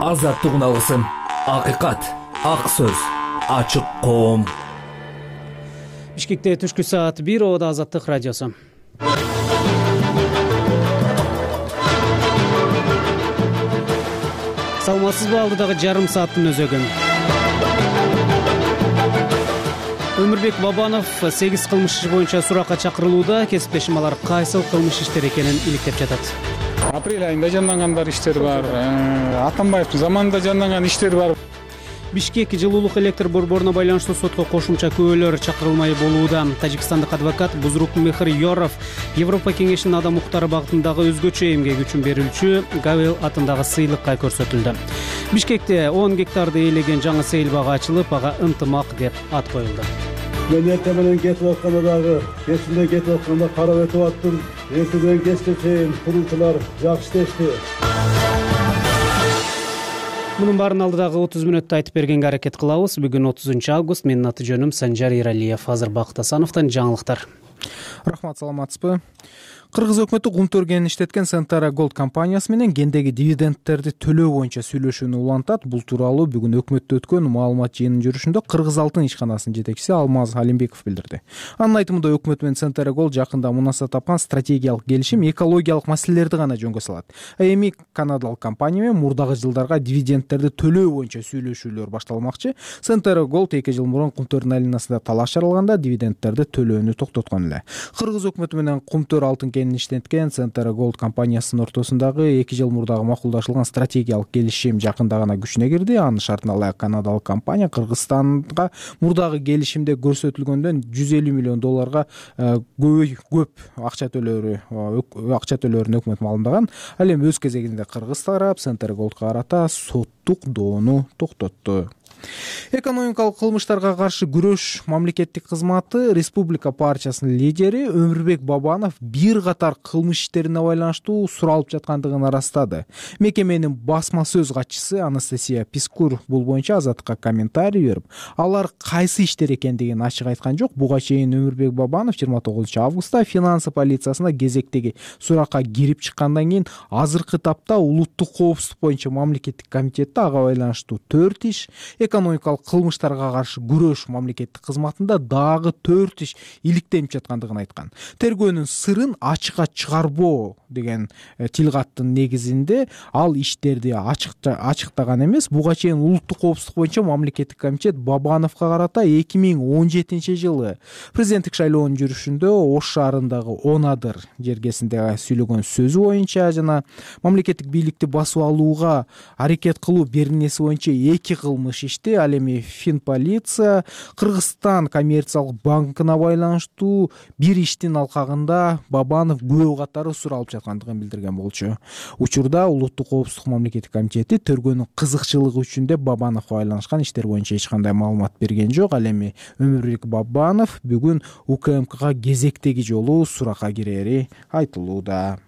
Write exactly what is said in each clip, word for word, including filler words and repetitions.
азаттык алгысым, акыйкат, ак сөз, ачык коом. Бишкекте түшкү саат бир, Ода Азаттык радиосу. Саламатсызбы, алдыдагы жарым сааттын өзөгүн. Өмүрбек Бабанов сегиз кылмыш иши боюнча суракка чакырылууда. Кесиптешим алар кайсыл кылмыш иштер экенин иликтеп жатат. Апрель айында жандангандар иштер бар, Атамбаевдин заманында жанданган иштер бар. Бишкек жылуулук электр борборуна байланыштуу сотко кошумча күбөлөр чакырылмай болууда. Тажикстандык адвокат Бузрук-Мехр Yorov Европа кеңешинин адам укуктары багытындагы өзгөчө эмгек үчүн берилчү Гавел атындагы сыйлыкка көрсөтүлдү. Бишкекте он гектарды ээлеген жаңы сейил бага ачылып, ага ынтымак деп ат коюлду. Мен эртең менен кетип атканда дагы, кечинде кетип атканда карап өтүп аттым. Эртеден кечке чейин курулчулар жакшы иштешти. Мунун баарын алдыдагы отуз мүнөттө айтып бергенге аракет кылабыз. Бүгүн отузунчу август. Менин аты жөнүм Санжар Иралиев. Азыр Бакыт Асановдон жаңылыктар. Рахмат, саламатсызбы? Кыргыз өкмөтү Кумтөр кенин иштеткен Centara Gold компаниясы менен гендеги дивидендтерди төлөө боюнча сүйлөшүүнү улантат. Бул тууралуу бүгүн өкмөттө өткөн маалымат жыйынынын жүрүшүндө Кыргыз Алтын ишканасынын жетекчиси Алмаз Алимбеков билдирди. Анын айтымында өкмөт менен Centara Gold жакында мунаса тапкан стратегиялык келишим экологиялык маселелерди гана жөнгө салат. Эми канадалык компания менен мурдагы жылдарга дивидендтерди төлөө боюнча сүйлөшүүлөр башталмакчы. Centara Gold эки жыл мурун Кумтөрдүн айланасында талаш жаралганда дивидендтерди төлөөнү токтоткон эле. Кыргыз өкмөтү менен Кумтөр Алтын кенин иштеткен Centara Gold компаниясынын ортосундагы эки жыл мурдагы макулдашылган стратегиялык келишим жакында гана күчүнө кирди. Анын шартына ылайык канадалык компания Кыргызстанга мурдагы келишимде көрсөтүлгөндөн жүз элүү миллион долларга көп көп акча төлөөрү акча төлөөрүн өкмөт маалымдаган. Ал эми өз кезегинде Кыргыз тарап Centara Goldга карата соттук доону токтотту. Экономикалык кылмыштарга каршы күрөш мамлекеттик кызматы Республика партиясынын лидери Өмүрбек Бабанов бир катар кылмыш иштерине байланыштуу суралып жаткандыгын арастады. Мекеменин басма сөз катчысы Анастасия Пискур бул боюнча Азаттыкка комментарий берип, алар кайсы иштер экендигин ачык айткан жок. Буга чейин Өмүрбек Бабанов жыйырма тогузунчу августта финансы полициясына кезектеги суракка кирип чыккандан кийин азыркы тапта улуттук коопсуздук боюнча мамлекеттик комитетте ага байланыштуу төрт иш, экономикалык кылмыштарга каршы күрөш мамлекеттик кызматында дагы төрт иш иликтенип жаткандыгын айткан. Тергөөнүн сырын ачыкка чыгарбоо деген тил каттын негизинде ал иштерди ачыктаган эмес. Буга чейин улуттук коопсуздук боюнча мамлекеттик комитет Бабановго карата эки миң он жетинчи жылы президенттик шайлоонун жүрүшүндө Ош шаарындагы Онадыр жергесинде сүйлөгөн сөзү боюнча жана мамлекеттик бийликти басып алууга аракет кылуу беренеси боюнча эки кылмыш ишти. Ал эми Финполиция Кыргызстан коммерциялык банкына байланыштуу бир иштин алкагында Бабанов күбө катары суралып жаткандыгын билдирген болчу. Учурда улуттук коопсуздук мамлекеттик комитети тергөөнүн кызыкчылыгы үчүн деп Бабановго байланышкан иштер боюнча эч кандай маалымат берген жок. Ал эми Өмүрбек Бабанов бүгүн УКМКга кезектеги жолу суракка кирери айтылууда.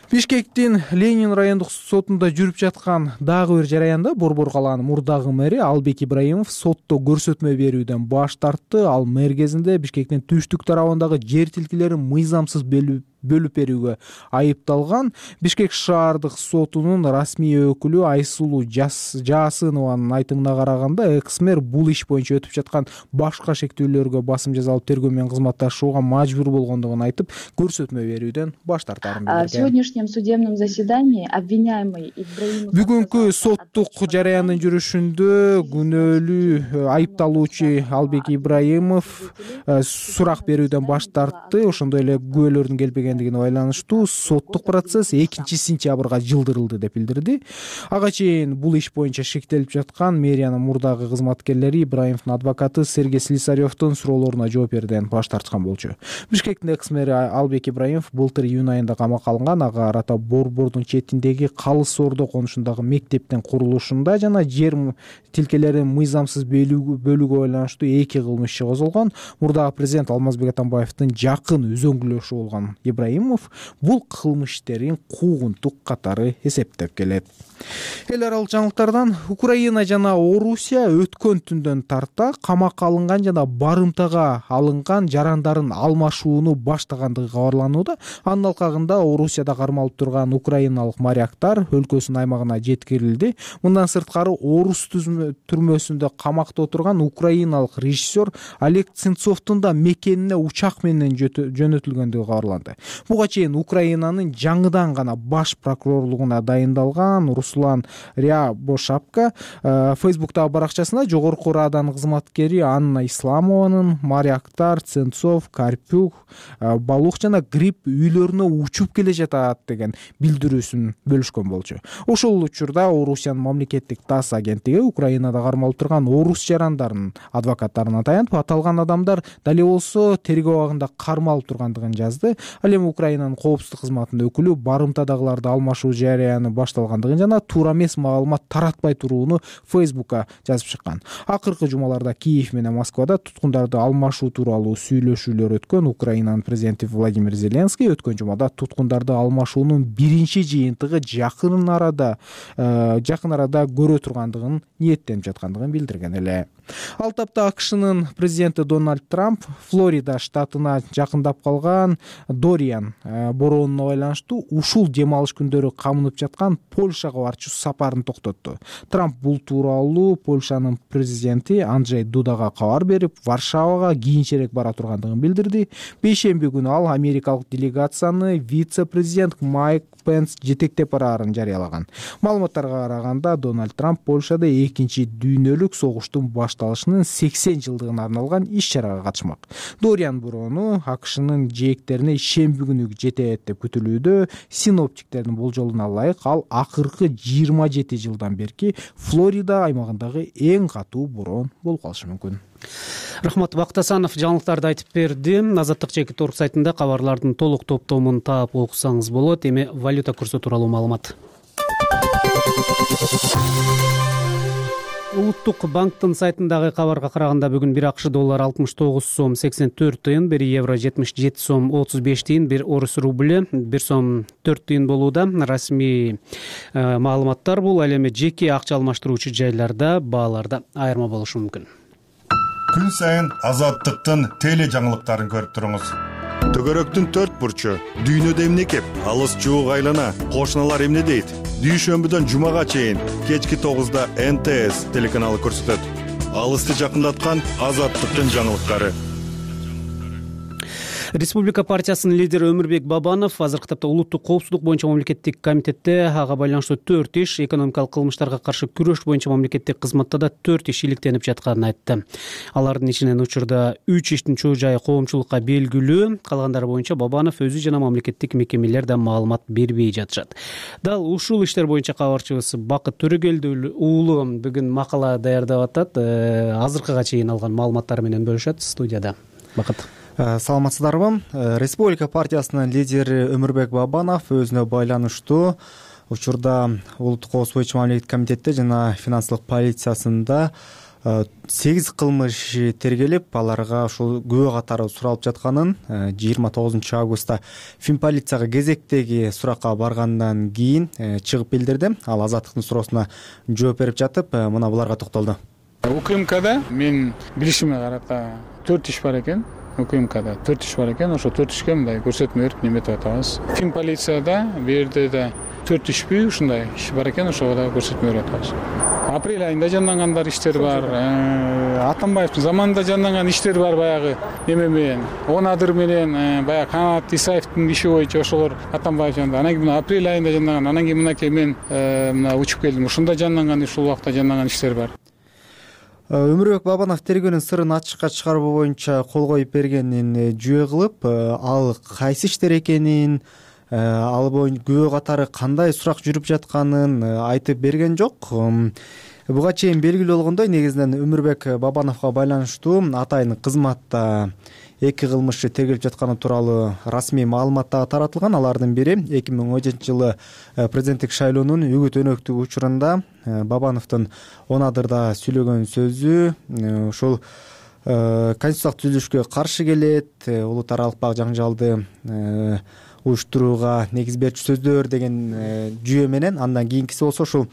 Бишкектин Ленин райондук сотунда жүрүп жаткан дагы бир жараянда Борбор калаанын мурдагы мэри Албек Ибраимов сотто көрсөтмө берүүдөн баш тартты. Ал мэр кезинде Бишкектин түштүк тарабындагы жер тилкелерин мыйзамсыз бөлүп берүүгө айыпталган. Бишкек шаардык сотунун расмий өкүлү Айсулуу Жаасынованын айтымына караганда, экс-мэр бул иш боюнча өтүп жаткан башка шектүүлөргө басым жасалып тергөө менен кызматташууга мажбур болгондугун айтып, көрсөтмө берүүдөн баш тартарын билдирген. В сегодняшнем судебном заседании обвиняемый Ибраимов Бүгүнкү соттук жараяндын жүрүшүндө күнөөлүү айыпталуучу Албек Ибраимов сурак берүүдөн баш тартты. Ошондой эле күбөлөрдүн келбеген байланыштуу соттук процесс экинчи сентябрга жылдырылды деп билдирди. Ага чейин бул иш боюнча шектелип жаткан мэриянын мурдагы кызматкерлери Ибраимовдун адвокаты Сергей Слесаревдун суроолоруна жооп берүүдөн баш тарткан болчу. Бишкектин экс-мэри Албек Ибраимов былтыр июнь айында камакка алынган. Ага карата Борбордун четиндеги Калыс Ордо конушундагы мектептин курулушунда жана жер тилкелерин мыйзамсыз бөлүүгө байланыштуу эки кылмыш иши козголгон. Мурдагы президент Алмазбек Атамбаевдин жакын үзөңгүлөшү болгон Ибраимов бул кылмыш иштерин куугунтук катары эсептеп келет. Эл аралык жаңылыктардан Украина жана Орусия өткөн түндөн тарта камакка алынган жана барымтага алынган жарандарын алмашууну баштагандыгы кабарланууда. Анын алкагында Орусияда кармалып турган украиналык моряктар өлкөсүнүн аймагына жеткирилди. Мындан сырткары Орус түрмөсүндө камакта отурган украиналык режиссер Олег Сенцовдун да мекенине учак менен жөнөтүлгөндүгү кабарланды. Буга чейин Украинанын жаңыдан гана баш прокурорлугуна дайындалган Руслан Рябошапка Фейсбуктагы баракчасында жогорку Раданын кызматкери Анна Исламованын моряктар Сенцов, Карпюк, Балук жана Гриб үйлөрүнө учуп келе жатат деген билдирүүсүн бөлүшкөн болчу. Ошол учурда Орусиянын мамлекеттик ТАСС агенттиги Украинада кармалып турган орус жарандарынын адвокаттарына таянып, аталган адамдар дал эле болсо тергөө абагында кармалып тургандыгын жазды. Ал эми Украинанын коопсуздук кызматынын өкүлү барымтадагыларды алмашуу жарыяны башталгандыгын жана туура эмес маалымат таратпай турууну Фейсбукка жазып чыккан. Акыркы жумаларда Киев менен Москвада туткундарды алмашуу тууралуу сүйлөшүүлөр өткөн. Украинанын президенти Владимир Зеленский өткөн жумада туткундарды алмашуунун биринчи жыйынтыгы жакын арада жакын арада көрө тургандыгын ниеттенип жаткандыгын билдирген эле. Ал тапта АКШнын президенти Дональд Трамп Флорида штатына жакындап калган Дориан бороонуна байланыштуу ушул дем алыш күндөрү камынып жаткан Польшага барчу сапарын токтотту. Трамп бул тууралуу Польшанын президенти Анджей Дудага кабар берип, Варшавага кийинчерээк бара тургандыгын билдирди. Бейшемби күнү ал америкалык делегацияны вице-президент Майк Пенс жетектеп бараарын жарыялаган. Маалыматтарга караганда Дональд Трамп Польшада экинчи дүйнөлүк согуштун башталышынын сексен жылдыгына арналган иш-чарага катышмак. Дориан бороону АКШнын жээктерине шемби күнү жетет деп күтүлүүдө. Синоптиктердин болжолуна ылайык ал акыркы жыйырма жети жылдан берки Флорида аймагындагы эң катуу бороон болуп калышы мүмкүн. Рахмат Бактасанов жаңылыктарды айтып берди. Азаттык чекит орг сайтында кабарлардын толук топтомун таап окусаңыз болот. Эми валюта курсу тууралуу маалымат. Улуттук банктын сайтындагы кабарга караганда бүгүн бир АКШ доллары алтымыш тогуз сом сексен төрт тыйын, бир евро жетимиш жети сом отуз беш тыйын, бир орус рубль бир сом төрт тыйын болууда. Расмий маалыматтар бул. Ал эми жеке акча алмаштыруучу жайларда бааларда айырма болушу мүмкүн. Күн сайын Азаттыктын теле жаңылыктарын көрүп туруңуз. Төгөрөктүн төрт бурчу, дүйнөдө эмне кеп, алыс жуук айлана, кошуналар эмне дейт? Дүйшөмбүдөн жумага чейин кечки тогузда эн тэ эс телеканалы көрсөтөт. Алысты жакындаткан Азаттыктын жаңылыктары. Республика партиясынын лидери Өмүрбек Бабанов азыркы тапта улуттук коопсуздук боюнча мамлекеттик комитетте ага байланыштуу төрт иш, экономикалык кылмыштарга каршы күрөш боюнча мамлекеттик кызматта да төрт иш иликтенип жатканын айтты. Алардын ичинен учурда үч иштин чоо жайы коомчулукка белгилүү, калгандары боюнча Бабанов өзү жана мамлекеттик мекемелер да маалымат бербей жатышат. Дал ушул иштер боюнча кабарчыбыз Бакыт Төрөгелди уулу бүгүн макала даярдап атат. Азыркыга чейин алган маалыматтары менен бөлүшөт студияда. Бакыт. Саламатсыздарбы? Республика партиясынын лидери Өмүрбек Бабанов өзүнө байланыштуу учурда улуттук коопсуздук боюнча мамлекеттик комитетте жана финансылык полициясында сегиз кылмыш тергелип, аларга ушул күбө катары суралып жатканын жыйырма тогузунчу августта Финполицияга кезектеги суракка баргандан кийин чыгып билдирди. Ал Азаттыктын суроосуна жооп берип жатып, мына буларга токтолду. УКМКда мен билишиме карата төрт иш бар экен. УКМКда төрт иш бар экен. Ошо төрт ишке мындай көрсөтмө берип неметип атабыз. Финполицияда бу жерде да төрт ишпи ушундай иш бар экен, ошого да көрсөтмө берип атабыз. Апрель айында жанданган иштер бар. Атамбаевдин заманында жанданган иштер бар, баягы эме менен, Онадыр менен, баягы Канат Исаевдин иши боюнча ошолор Атамбаев жанда. Анан кийин апрель айында жанданган, анан кийин мынакей мен мына учуп келдим. Ушунда жанданган, ушул убакта жанданган иштер бар. Өмүрбек Бабанов тергөөнүн сырын ачыкка чыгаруу боюнча кол коюп бергенин жүйө кылып, ал кайсы иштер экенин, ал боюнча күбө катары кандай сурак жүрүп жатканын айтып берген жок. Буга чейин белгилүү болгондой, негизинен Өмүрбек Бабановго байланыштуу атайын кызматта эки кылмыш тергелип жатканы тууралуу расмий маалымат дагы таратылган. Алардын бири эки миң он жетинчи жылы президенттик шайлоонун үгүт өнөктүгү учурунда Бабановдун Онадырда сүйлөгөн сөзү ушул конституциялык түзүлүшкө каршы келет, улут аралык баг жаңжалды уюштурууга негиз берчү сөздөр деген жүйө менен, андан кийинкиси болсо ушул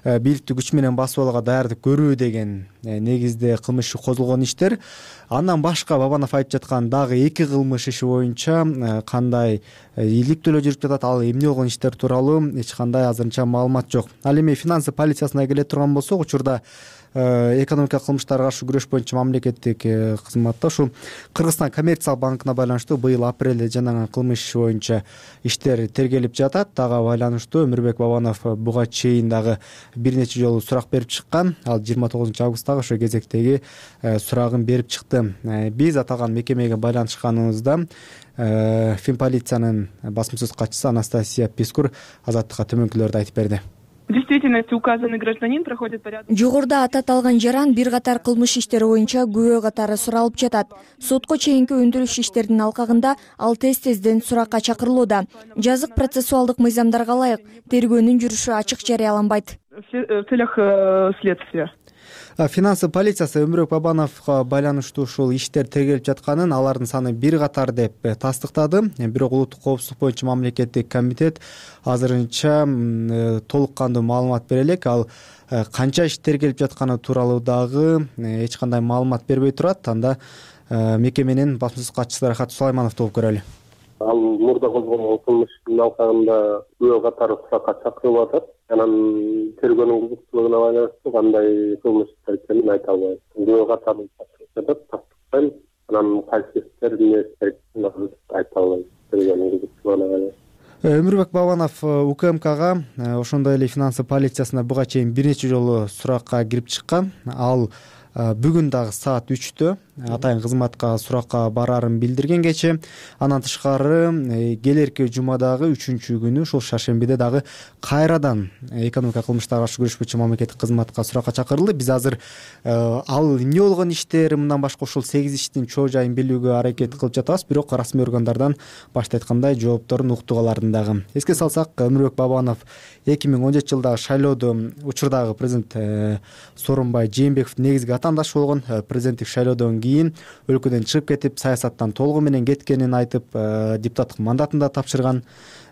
бийликтүү күч менен басып алууга даярдык көрүү деген негизде кылмыш иши козулгон иштер. Андан башка Бабанов айтып жаткан дагы эки кылмыш иши боюнча кандай иликтөөлөр жүрүп жатат, ал эмне болгон иштер тууралуу эч кандай азырынча маалымат жок. Ал эми финансы полициясына келе турган болсок, учурда экономикалык кылмыштарга каршы күрөш боюнча мамлекеттик кызматта ушул Кыргызстан коммерциялык банкына байланыштуу быйыл апрелде жанаган кылмыш иши боюнча иштер тергелип жатат. Ага байланыштуу Өмүрбек Бабанов буга чейин дагы бир нече жолу сурак берип чыккан. Ал жыйырма тогузунчу августтагы ошо кезектеги сурагын берип чыкты. Биз аталган мекемеге байланышканыбызда Финполициянын басма сөз катчысы Анастасия Пискур Азаттыкка төмөнкүлөрдү айтып берди. В действительности указанный гражданин проходит порядок. Жогоруда ататалган жаран бир катар кылмыш иштери боюнча күбө катары суралып жатат. Сотко чейинки өндүрүш иштеринин алкагында ал тез-тезден суракка чакырылууда. Жазык процессуалдык мыйзамдарга ылайык тергөөнүн жүрүшү ачык жарыяланбайт. В целях следствия. Финансы полициясы Өмүрбек Бабановго байланыштуу ушул иштер тергелип жатканын, алардын саны бир катар деп тастыктады. Бирок улуттук коопсуздук боюнча мамлекеттик комитет азырынча толук кандуу маалымат бере элек. Ал канча иш тергелип жатканы тууралуу дагы эч кандай маалымат бербей турат. Анда мекеменин басма сөз катчысы Рахат Сулаймановду угуп көрөлү. Ал мурда козголгон кылмыштын алкагында күбө катары суракка чакырылып атат. Анан тергөөнүн кызыкчылыгына байланыштуу кандай кылмыштар экенин айта албайм. Күбө катары чакырылып жатат, тастыктайм. Анан кайсы иштер эмне иштер экенин айта албайм. Тергөөнүн кызыкчылыгына байланыштуу. Өмүрбек Бабанов УКМКга, ошондой эле финансы полициясына буга чейин бир нече жолу суракка кирип чыккан. Ал бүгүн дагы саат үчтө атайын кызматка суракка бараарын билдирген кечээ. Андан тышкары келерки жумадагы үчүнчү күнү ушул шаршембиде дагы кайрадан экономика кылмыштарга каршы күрөш боюнча мамлекеттик кызматка суракка чакырылды. Биз азыр ал эмне болгон иштер, мындан башка ушул сегиз иштин чоо жайын билүүгө аракет кылып жатабыз, бирок расмий органдардан башта айткандай жоопторун уктук алардын дагы. Эске салсак, Өмүрбек Бабанов эки миң он жетинчи жылдагы шайлоодо учурдагы президент Сооронбай Жээнбековдун негизги атаандашы болгон. Президенттик шайлоодон кийин өлкөдөн чыгып кетип, саясаттан толугу менен кеткенин айтып, депутаттык мандатын да тапшырган.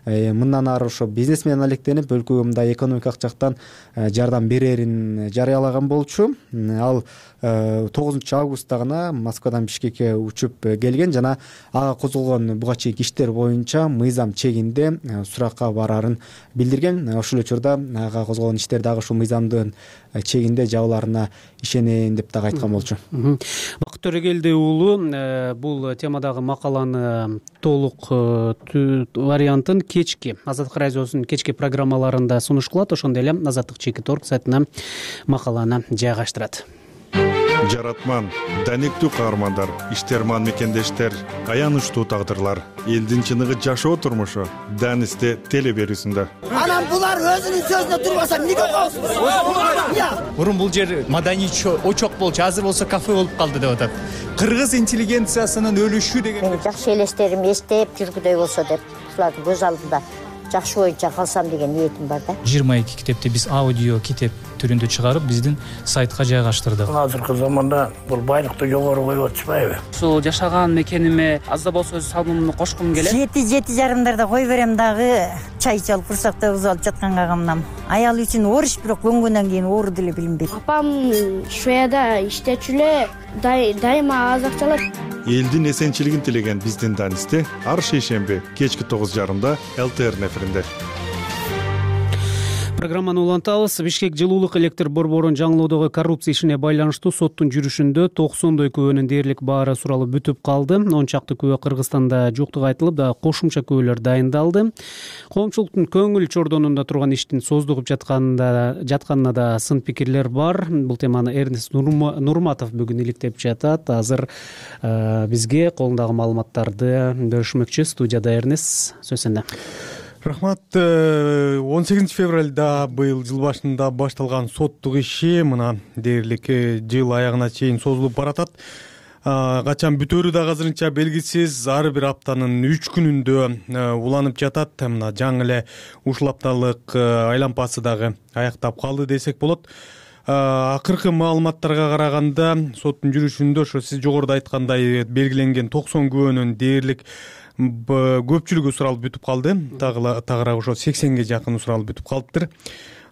Мындан ары ошо бизнесмен алектенип, өлкөгө мындай экономикалык жактан жардам берерин жарыялаган болчу. Ал тогузунчу августта гана Москвадан Бишкекке учуп келген жана ага козголгон буга чейинки иштер боюнча мыйзам чегинде суракка бараарын билдирген. Ошол учурда ага козголгон иштер дагы ушул мыйзамдын чегинде жабыларына ишенейин деп дагы айткан болчу. Бакыт Төрөгелди уулу бул темадагы макаланы толук вариантын кечки Азаттык радиосунун кечки программаларында сунуш кылат. Ошондой эле Азаттык чекит точка орг сайтына макаланы жайгаштырат. Жаратман, данектүү каармандар, иштерман мекендештер, аянычтуу тагдырлар, элдин чыныгы жашоо турмушу Данисте теле берүүсүндө. Анан булар өзүнүн сөзүнө турбаса эмнеге коесуз? Мурун бул жер маданий очок болчу, азыр болсо кафе болуп калды деп атат. Кыргыз интеллигенциясынын өлүшү деген. Мени жакшы элестерим эстеп жүргүдөй болсо деп, булардын көз алдында жакшы боюнча калсам деген ниетим бар да. жыйырма эки китепти биз аудио китеп түрүндө чыгарып, биздин сайтка жайгаштырдык. Азыркы заманда бул байлыкты жогору коюп атышпайбы? Ушул жашаган мекениме аз да болсо өз салымымды кошкум келет. Жети жети жарымдарда кой берем дагы, чай ичип курсакта бузуп алып жатканга камнам. Аял үчүн ориш, бирок көнгөндөн кийин ооруу деле билинбейт. Апам Швеяда иштечү эле, дайыма аз акча алат. Элдин эсенчилигин тилеген биздин Данисте ар шейшемби кечки тогуз жарымда эл тэ эр эфиринде. Программаны улантабыз. Бишкек жылуулук электр борборун жаңылоодогу коррупция ишине байланыштуу соттун жүрүшүндө токсондой күбөнүн дээрлик баары суралып бүтүп калды. он чакты күбө Кыргызстанда жоктугу айтылып, да кошумча күбөлөр дайындалды. Коомчулуктун көңүл чордонунда турган иштин создугуп жатканында жатканына да сын пикирлер бар. Бул теманы Эрнест Нурматов бүгүн иликтеп жатат. Азыр бизге колундагы маалыматтарды бөлүшмөкчү. Студияда Эрнест, сөз сенде. Рахмат. он сегизинчи февралда быйыл жыл башында башталган соттук иши мына дээрлик жыл аягына чейин созулуп баратат. Качан бүтөөрү да азырынча белгисиз. Ар бир аптанын үч күнүндө уланып жатат. Мына жаңы эле ушул апталык айлампасы дагы аяктап калды десек болот. Акыркы маалыматтарга караганда соттун жүрүшүндө ошо сиз жогоруда айткандай белгиленген токсон күбөнүн дээрлик көпчүлүгү суралып бүтүп калды. Тагыраак ошо сексенге жакын суралып бүтүп калыптыр.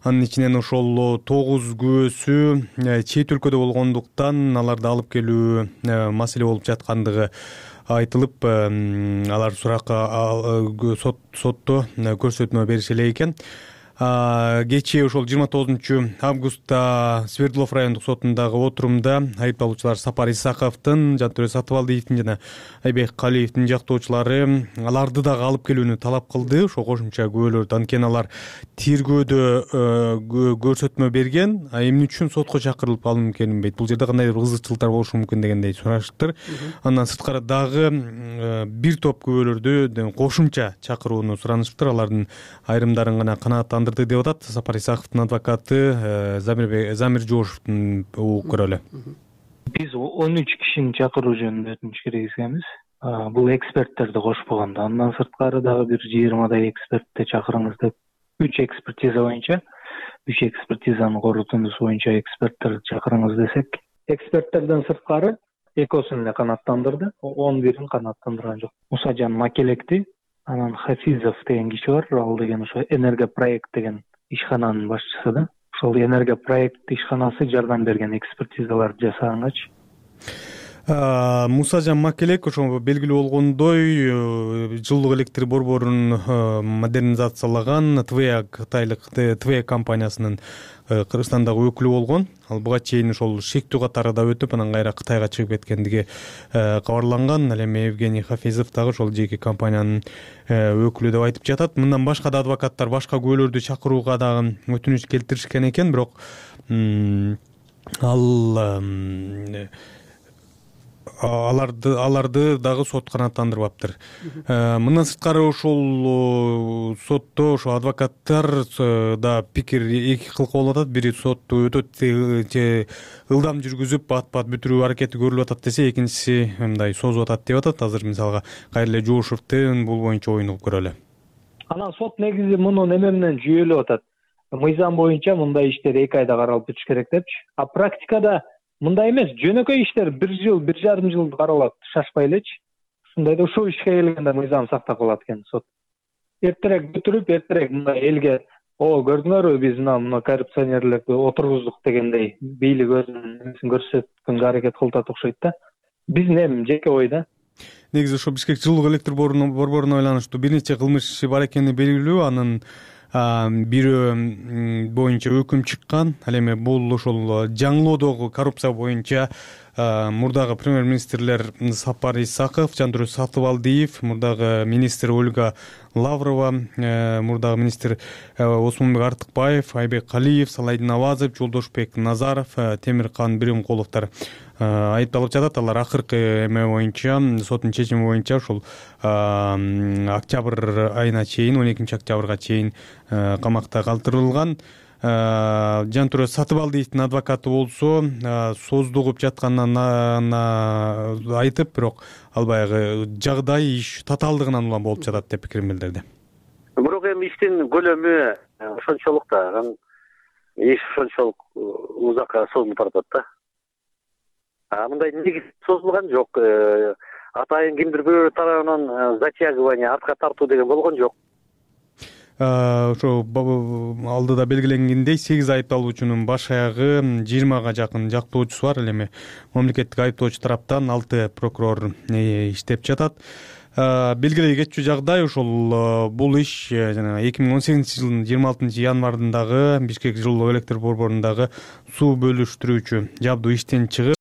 Анын ичинен ошол тогуз күбөсү чет өлкөдө болгондуктан аларды алып келүү маселе болуп жаткандыгы айтылып, алар суракка сотто көрсөтмө бериши эле экен. Кечээ ошол жыйырма тогузунчу августта Свердлов райондук сотундагы отурумда айыпталуучулар Сапар Исаковдун, Жантөре Сатыбалдиевдин жана Айбек Калиевдин жактоочулары аларды дагы алып келүүнү талап кылды. Ошо кошумча күбөлөрдү. Анткени алар тергөөдө көрсөтмө берген, а эмне үчүн сотко чакырылып алынып келинбейт? Бул жерде кандайдыр бир кызыкчылыктар болушу мүмкүн дегендей сурашыптыр. Андан сырткары дагы бир топ күбөлөрдү кошумча чакырууну суранышыптыр. Алардын айрымдарын гана канааттандырды деп атат Сапар Исаковдун адвокаты Замир Жошовдун угуп көрөлү. Биз он үч кишини чакыруу жөнүндө өтүнүч киргизгенбиз. Бул эксперттерди кошпогондо. Андан сырткары дагы бир жыйырмадай экспертти чакырыңыз деп, үч экспертиза боюнча, үч экспертизанын корутундусу боюнча эксперттерди чакырыңыз десек, эксперттерден сырткары экөөсүн эле канааттандырды, он бирин канааттандырган жок. Мусажан Макелекти, анан Хафизов деген киши бар. Ал деген ошо Энергопроект деген ишкананын башчысы да. Ошол Энергопроект ишканасы жардам берген экспертизаларды жасагангачы. Мусажан Макелек ошо белгилүү болгондой жылуулук электр борборун модернизациялаган ТВЭА Кытайлык ТВЭА компаниясынын Кыргызстандагы өкүлү болгон. Ал буга чейин ошол шектүү катары да өтүп, анан кайра Кытайга чыгып кеткендиги кабарланган. Ал эми Евгений Хафизов дагы ошол жеке компаниянын өкүлү деп айтып жатат. Мындан башка да адвокаттар башка күбөлөрдү чакырууга дагы өтүнүч келтиришкен экен, бирок ал аларды аларды дагы сот канааттандырбаптыр. Мындан сырткары ошол сотто ошо адвокаттар да пикир эки кыл болуп атат. Бири сотту өтөт же ылдам жүргүзүп бат-бат бүтүрүү аракети көрүлүп атат десе, экинчиси мындай созуп атат деп атат. Азыр мисалга кайра эле Жошовдун бул боюнча оюн угуп көрөлү. Анан сот негизи муну неме менен жүйөлөп атат. Мыйзам боюнча мындай иштер эки айда каралып бүтүш керек депчи. А практикада мындай эмес, жөнөкөй иштер бир жыл, бир жарым жыл каралат, шашпай элечи. Ушундайда ушул ишке келгенде мыйзам сактап калат экен сот. Эртерээк бүтүрүп, эртерээк мындай элге, о, көрдүңөрбү, биз мына мына коррупционерлерди отургуздук дегендей бийлик өзүнүн көрсөткөнгө аракет кылып атат окшойт да. Биздин эми жеке ой да. Негизи ошо Бишкек жылуулук электр борборуна байланыштуу бир нече кылмыш иши бар экени белгилүү. Анын бирөө боюнча өкүм чыккан. Ал эми бул ошол жаңылоодогу коррупция боюнча мурдагы премьер-министрлер Сапар Исаков, Жантөре Сатыбалдиев, мурдагы министр Ольга Лаврова, мурдагы министр Осмонбек Артыкбаев, Айбек Калиев, Салайдин Авазов, Жолдошбек Назаров, Темиркан Биримкуловдор айыпталып жатат. Алар акыркы эме боюнча, соттун чечими боюнча ошол октябрь айына чейин, он экинчи октябрга чейин камакта калтырылган. Жантөре Сатыбалдиевдин адвокаты болсо создугуп жатканын айтып, бирок ал баягы жагдай иш татаалдыгынан улам болуп жатат деп пикирин билдирди. Бирок эми иштин көлөмү ошончолук да, иш ошончолук узакка созулуп баратат да. А мындай негиз созулган жок. Атайын кимдир бирөө тарабынан затягивание, артка тартуу деген болгон жок. Ошо алдыда белгиленгендей сегиз айыпталуучунун баш аягы жыйырмага жакын жактоочусу бар. Ал эми мамлекеттик айыптоочу тараптан алты прокурор иштеп жатат. Белгилей кетчү жагдай ошол бул иш жана эки миң он сегизинчи жылдын жыйырма алтынчы январындагы Бишкек жылуулук электр борборундагы суу бөлүштүрүүчү жабдуу иштен чыгып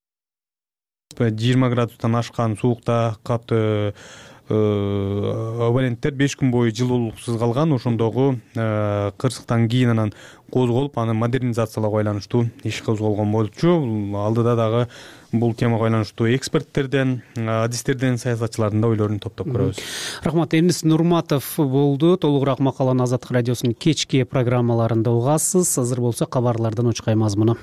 жыйырма градустан ашкан суукта катуу абоненттер беш күн бою жылуулуксуз калган. Ошондогу кырсыктан кийин анан козголуп, аны модернизациялоого байланыштуу иш козголгон болчу. Алдыда дагы бул темага байланыштуу эксперттерден, адистерден, саясатчылардын да ойлорун топтоп көрөбүз. Рахмат. Эмис Нурматов болду. Толугураак макаланы Азаттык радиосунун кечки программаларында угасыз. Азыр болсо кабарлардан учкай мазмуну.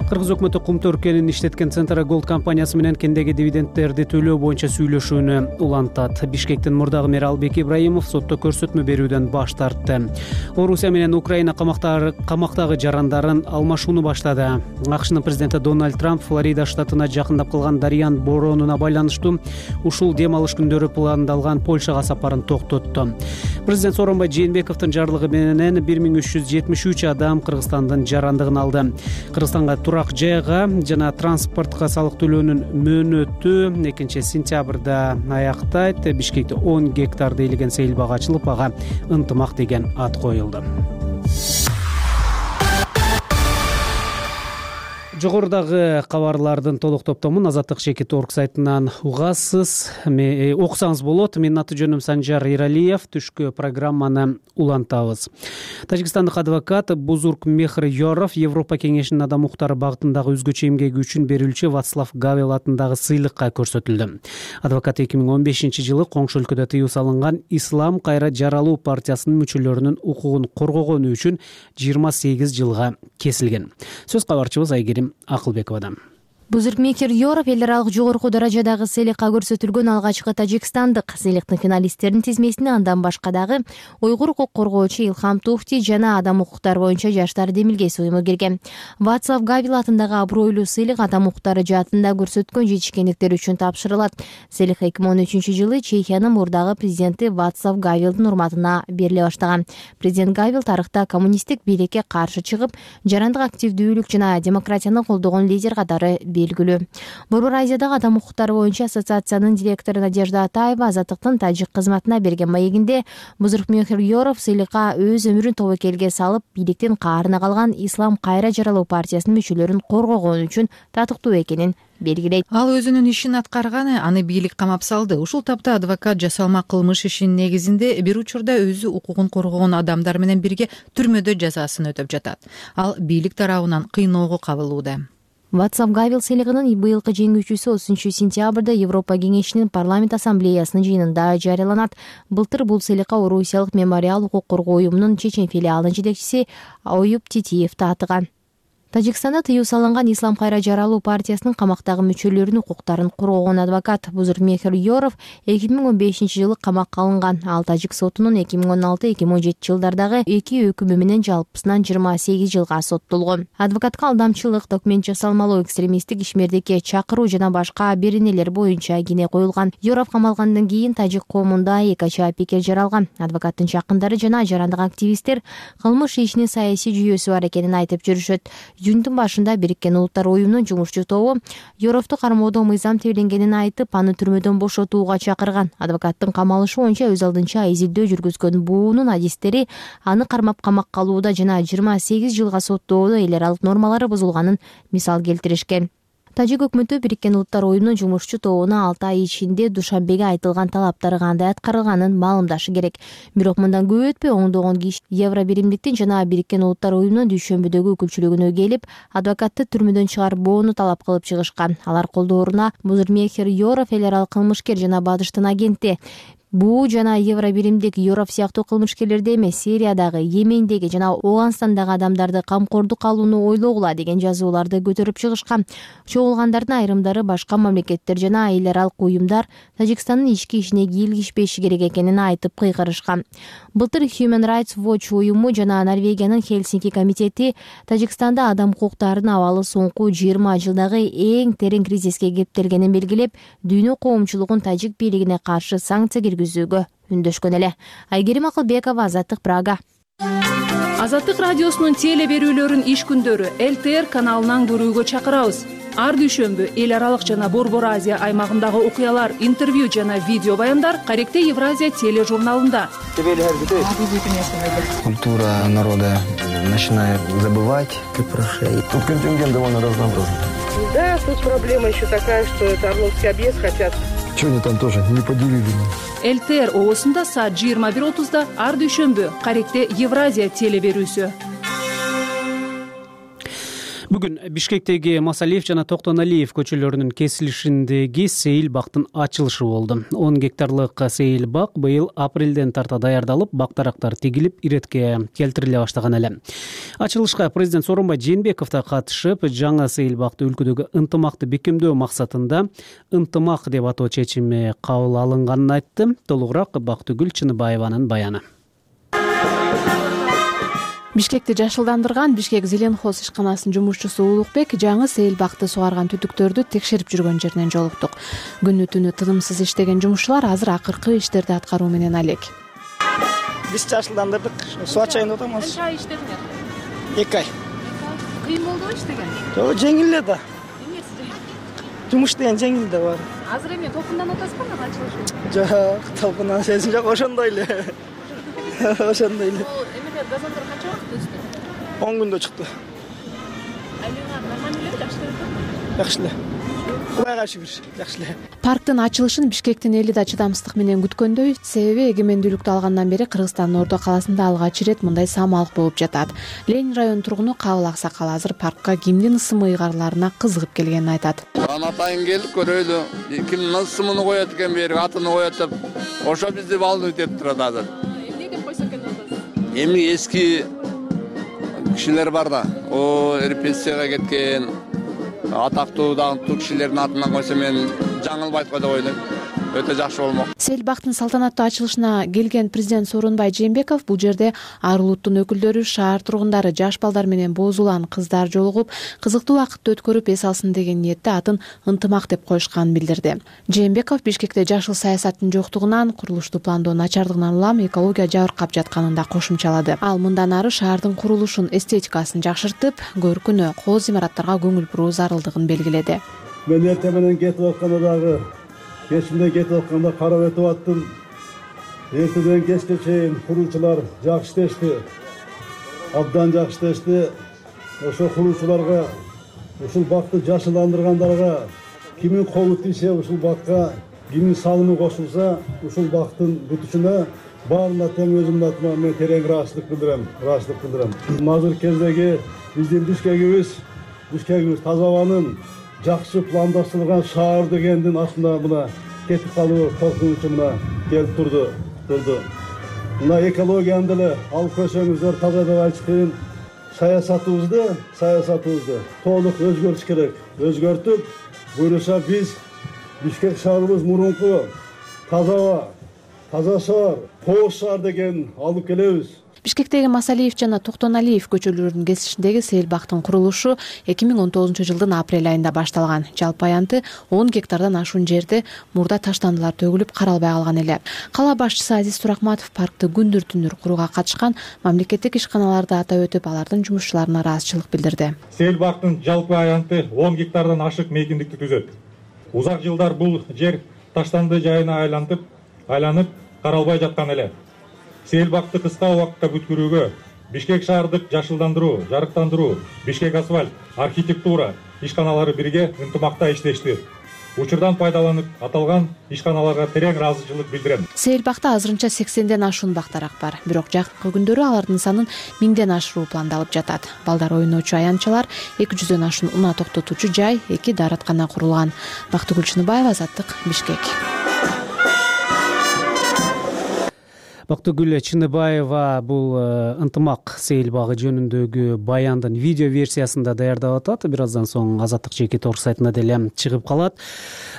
кыргыз өкмөтү кумту өркенин иштеткен Центра Голд компаниясы менен кендеги дивидендтерди төлөө боюнча сүйлөшүүнү улантат. Бишкектин мурдагы мери Албек Ибраимов сотто көрсөтмө берүүдөн баш тартты. Орусия менен Украина камактагы жарандарын алмашууну баштады. АКШнын президенти Дональд Трамп Флорида штатына жакындап калган Дарьян боронуна байланыштуу ушул дем алыш күндөрү пландалган Польшага сапарын токтотту. Президент Сооронбай Жээнбековдун жарлыгы менен бир миң үч жүз жетимиш үч адам Кыргызстандын жарандыгын алды. Кыргызстанга турак жайга жана транспортко салык төлөөнүн мөөнөтү экинчи сентябрда аяктайт. Бишкекте он гектарды ээлеген сейил бага ачылып, ага ынтымак деген ат коюлду. Жогорудагы кабарлардын толук топтомун Азаттык жеке торг сайтынан угасыз, окусаңыз болот. Менин аты жөнүм Санжар Иралиев. Түшкү программаны улантабыз. Тажикстандык адвокат Бузуркмехр Yorov Европа кеңешинин адам укуктары багытындагы өзгөчө эмгеги үчүн берилчү Вацлав Гавел атындагы сыйлыкка көрсөтүлдү. Адвокат эки миң он бешинчи жылы коңшу өлкөдө тыюу салынган Ислам кайра жаралуу партиясынын мүчөлөрүнүн укугун коргогону үчүн жыйырма сегиз жылга кесилген. Сөз кабарчыбыз Айгерим Акылбековадан. Бузуркмехр Yorov эл аралык жогорку даражадагы сыйлыкка көрсөтүлгөн алгачкы тажикстандык. Сыйлыктын финалисттеринин тизмесине андан башка дагы уйгур укук коргоочу Илхам Туфти жана адам укуктары боюнча жаштар демилгеси уюму кирген. Вацлав Гавел атындагы абройлуу сыйлык адам укуктары жаатында көрсөткөн жетишкендиктер үчүн тапшырылат. Сыйлык эки миң он үчүнчү жылы Чехиянын мурдагы президенти Вацлав Гавелдин урматына бериле баштаган. Президент Гавел тарыхта коммунисттик бийликке каршы чыгып, жарандык активдүүлүк жана демократияны колдогон лидер катары белгилүү. Борбор Азиядагы адам укуктары боюнча ассоциациянын директору Надежда Атаева Азаттыктын тажик кызматына берген маегинде Бузуркмехр Yorov сыйлыкка өз өмүрүн тобокелге салып, бийликтин каарына калган Ислам кайра жаралуу партиясынын мүчөлөрүн коргогон үчүн татыктуу экенин белгилейт. Ал өзүнүн ишин аткарганы, аны бийлик камап салды. Ушул тапта адвокат жасалма кылмыш ишинин негизинде бир учурда өзү укугун коргогон адамдар менен бирге түрмөдө жазасын өтөп жатат. Ал бийлик тарабынан кыйноого кабылууда. Вацлав Гавел сыйлыгынын быйылкы жеңүүчүсү отузунчу сентябрда Европа кеңешинин парламент ассамблеясынын жыйынында жарыяланат. Былтыр бул сыйлыкка Орусиялык мемориал укук коргоо уюмунун Чечен филиалынын жетекчиси Оюп Титиев таатыган. Тажикстанда тыюу салынган Ислам кайра жаралуу партиясынын камактагы мүчөлөрүнүн укуктарын коргогон адвокат Бузуркмехр Yorov эки миң он бешинчи жылы камакка алынган. Ал тажик сотунун эки миң он алты эки миң он жети жылдардагы эки өкүмү менен жалпысынан жыйырма сегиз жылга соттолгон. Адвокатка алдамчылык, документ жасалмалоо, экстремисттик ишмердикке чакыруу жана башка беренелер боюнча кине коюлган. Yorov камалгандан кийин тажик коомунда эки ача пикир жаралган. Адвокаттын жакындары жана жарандык активисттер кылмыш ишинин саясий жүйөсү бар экенин айтып жүрүшөт. Июндун башында Бириккен Улуттар уюмунун жумушчу тобу Yorovду кармоодо мыйзам тебленгенин айтып, аны түрмөдөн бошотууга чакырган. Адвокаттын камалышы боюнча өз алдынча изилдөө жүргүзгөн буунун адистери аны кармап камакка алууда жана жыйырма сегиз жылга соттоодо эл аралык нормалары бузулганын мисал келтиришкен. Тажик өкмөтү Бириккен Улуттар уюмунун жумушчу тобуна алты ай ичинде Душанбеге айтылган талаптар кандай аткарылганын маалымдашы керек. Бирок мындан көп өтпөй оңдогон киши Евро биримдиктин жана Бириккен Улуттар уюмунун Дүйшөмбүдөгү өкүлчүлүгүнө келип, адвокатты түрмөдөн чыгарбоону талап кылып чыгышкан. Алар колдооруна Бузуркмехр Yorov эл аралык кылмышкер жана Бадыштын агенти. Буу жана Евро биримдик Yorov сыяктуу кылмышкерлерди эмес, Сириядагы, Йемендеги жана Ооганстандагы адамдарды камкордук алууну ойлогула деген жазууларды көтөрүп чыгышкан. Чогулгандардын айрымдары башка мамлекеттер жана эл аралык уюмдар Тажикстандын ички ишине кийлигишпеши керек экенин айтып кыйкырышкан. Былтыр Human Rights Watch уюму жана Норвегиянын Хельсинки комитети Тажикстанда адам укуктарынын абалы соңку жыйырма жылдагы эң терең кризиске кептелгенин белгилеп, дүйнө коомчулугун тажик бийлигине каршы санкция киргизүүгө үндөшкөн эле. Айгерим Акылбекова, Азаттык, Прага. Азаттык радиосунун теле берүүлөрүн иш күндөрү эл тэ эр каналынан көрүүгө чакырабыз. Ар дүйшөмбү эл аралык жана Борбор Азия аймагындагы окуялар, интервью жана видео баяндар Каректе Евразия тележурналында. Культура народа начинает забывать, как прошей. Тут контингент довольно разнообразный. Да, тут проблема еще такая, что это Орловский объезд хотят. Что они там тоже не поделили? эл тэ эр оосунда саат жыйырма бир отузда ар дүйшөмбү Каректе Евразия теле берүүсү. Бүгүн Бишкектеги Масалиев жана Токтоналиев көчөлөрүнүн кесилишиндеги сейил бактын ачылышы болду. он гектарлык сейил бак быйыл апрелден тарта даярдалып, бактарактар тигилип, иретке келтириле баштаган эле. Ачылышка президент Сооронбай Жээнбеков да катышып, жаңы сейил бакты өлкөдөгү ынтымакты бекемдөө максатында ынтымак деп атоо чечими кабыл алынганын айтты. Толугураак Бактыгүл Чыныбаеванын баяны. Бишкекти жашылдандырган Бишкек Зеленхоз ишканасынын жумушчусу Улукбек жаңы сейил бакты сугарган түтүктөрдү текшерип жүргөн жеринен жолуктук. Күнү түнү тынымсыз иштеген жумушчулар азыр акыркы иштерди аткаруу менен алек. Биз жашылдандырдык, суу ачайын деп атабыз. Канча ай иштедиңер? эки ай. Кыйын болдубу иштеген? Жок, жеңил эле да. Эмнеси жеңил? Жумуш деген жеңил да бар. Азыр эми толкундан атасызбы, ага ачылышы? Жок, толкундан сезим жок, ошондой эле. Ошондой эле. Эмне газондор канча убакыт өстү? он күндө чыкты. Айлыгы нормально эле, жакшы эле. Жакшы эле. Кудайга шүгүр, жакшы эле. Парктын ачылышын Бишкектин эли да чыдамсыздык менен күткөндөй, себеби эгемендүүлүктү алгандан бери Кыргызстандын Ордо каласында алгач ирет мындай самалык болуп жатат. Ленин районунун тургуну Кабыл Аксакал азыр паркка кимдин ысымы ыйгарларына кызыгып келгенин айтат. Атайын келип көрөлү, кимдин ысымын коет экен бери, атын коет деп, ошо бизди волнуйт этип турат азыр. Эмне деп койсо экен атасыз? Эми эски кишилер бар да, о репрессияга кеткен атактуу даңктуу кишилердин атынан койсо мен жаңылбайт го деп ойлойм. Өтө жакшы болмок. Сейил бактын салтанаттуу ачылышына келген президент Сооронбай Жээнбеков бул жерде ар улуттун өкүлдөрү, шаар тургундары, жаш балдар менен боз улан кыздар жолугуп, кызыктуу убакытты өткөрүп эс алсын деген ниетте атын ынтымак деп коюшканын билдирди. Жээнбеков Бишкекте жашыл саясаттын жоктугунан, курулушту пландоо начардыгынан улам экология жабыркап жатканын да кошумчалады. Ал мындан ары шаардын курулушун, эстетикасын жакшыртып, көркүнө, кооз имараттарга көңүл буруу зарылдыгын белгиледи. Мен эртең менен кетип атканда дагы кечинде кетип атканда карап өтүп аттым. Эртеден кечке чейин куруучулар жакшы иштешти. Абдан жакшы иштешти. Ошо куруучуларга, ушул бакты жашылдандыргандарга кимин колу тийсе ушул бакка, кимин салымы кошулса ушул бактын бүтүшүнө баарына тең өзүмдүн атыма мен терең ыраазычылык билдирем, ыраазычылык билдирем. Азыр кездеги биздин Бишкегибиз, Бишкегибиз таза абанын жакшы пландаштырылган шаар дегендин астында мына кетип калуу коркунучу мына келип турду. Турду. Мына экологияны деле алып көрсөңүздөр таза деп айтыш кыйын. Саясатыбызды, саясатыбызды толук өзгөртүш керек. Өзгөртүп, буюрса биз Бишкек шаарыбыз мурунку таза аба, таза шаар, кооз шаар деген алып келебиз. Бишкектеги Масалиев жана Токтоналиев көчөлөрүнүн кесишиндеги сейил бактын курулушу эки миң он тогузунчу жылдын апрель айында башталган. Жалпы аянты он гектардан ашуун жерде мурда таштандылар төгүлүп каралбай калган эле. Кала башчысы Азиз Туракматов паркты күндүр түнүр курууга катышкан мамлекеттик ишканаларды атап өтүп, алардын жумушчуларына ыраазычылык билдирди. Сейил бактын жалпы аянты он гектардан ашык мейкиндикти түзөт. Узак жылдар бул жер таштанды жайына айлантып, айланып каралбай жаткан эле. Сейил бакты кыска убакытта бүткөрүүгө Бишкек шаардык жашылдандыруу, жарыктандыруу, Бишкек асфальт, архитектура ишканалары бирге ынтымакта иштешти. Учурдан пайдаланып, аталган ишканаларга терең ыраазычылык билдирем. Сейил бакта азырынча сексенден ашуун бактарак бар. Бирок жакынкы күндөрү алардын санын миңден ашыруу пландалып жатат. Балдар ойноочу аянтчалар, эки жүздөн ашуун унаа токтотуучу жай, эки даараткана курулган. Бактыгүл Чыныбаева, Азаттык, Бишкек. Бактыгүл Чыныбаева бул ынтымак сейил багы жөнүндөгү баяндын видео версиясында даярдап атат. Бир аздан соң Азаттык жеке тор сайтына деле чыгып калат.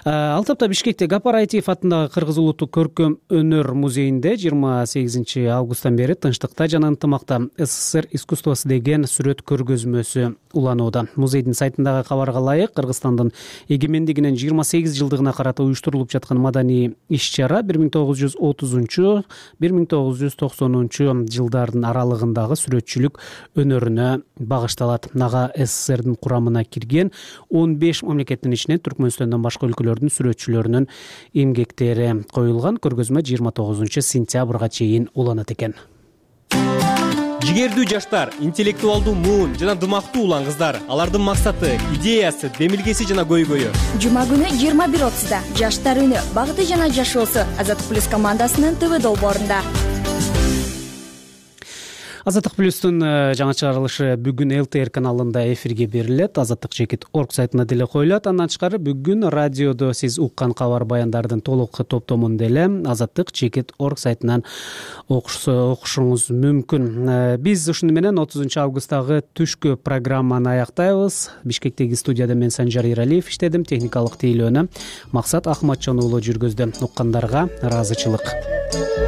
Ал тапта Бишкекте Гапар Айтиев атындагы Кыргыз улуттук көркөм өнөр музейинде жыйырма сегизинчи августтан бери тынчтыкта жана ынтымакта СССР искусствосу деген сүрөт көргөзмөсү уланууда. Музейдин сайтындагы кабарга ылайык, Кыргызстандын эгемендигинин жыйырма сегиз жылдыгына карата уюштурулуп жаткан маданий иш-чара бир миң тогуз жүз отузунчу бир миң тогуз жүз токсонунчу жылдардын аралыгындагы сүрөтчүлүк өнөрүнө багышталат. Нага СССРдин курамына кирген он беш мамлекеттин ичинен Түркмөнстөндөн башка өлкөлөрдүн сүрөтчүлөрүнүн эмгектери коюлган. Көргөзмө жыйырма тогузунчу сентябрга чейин уланат экен. Жигердүү жаштар, интеллектуалдуу муун жана дымактуу улан кыздар. Алардын максаты, идеясы, демилгеси жана көйгөйү. Жума күнү жыйырма бир отузда Жаштар үнү, багыты жана жашоосу Азаттык плюс командасынын ТВ долбоорунда. Азаттык плюстун жаңа чыгарылышы бүгүн эл тэ эр каналында эфирге берилет. азаттык чекит орг сайтына деле коюлат. Андан тышкары бүгүн радиодо сиз уккан кабар баяндардын толук топтомун деле азаттык чекит орг сайтынан окушуңуз мүмкүн. Биз ушуну менен отузунчу августтагы түшкү программаны аяктайбыз. Бишкектеги студияда мен Санжар Иралиев иштедим. Техникалык тейлөөнү Максат Ахматжан уулу жүргүздү. Уккандарга ыраазычылык.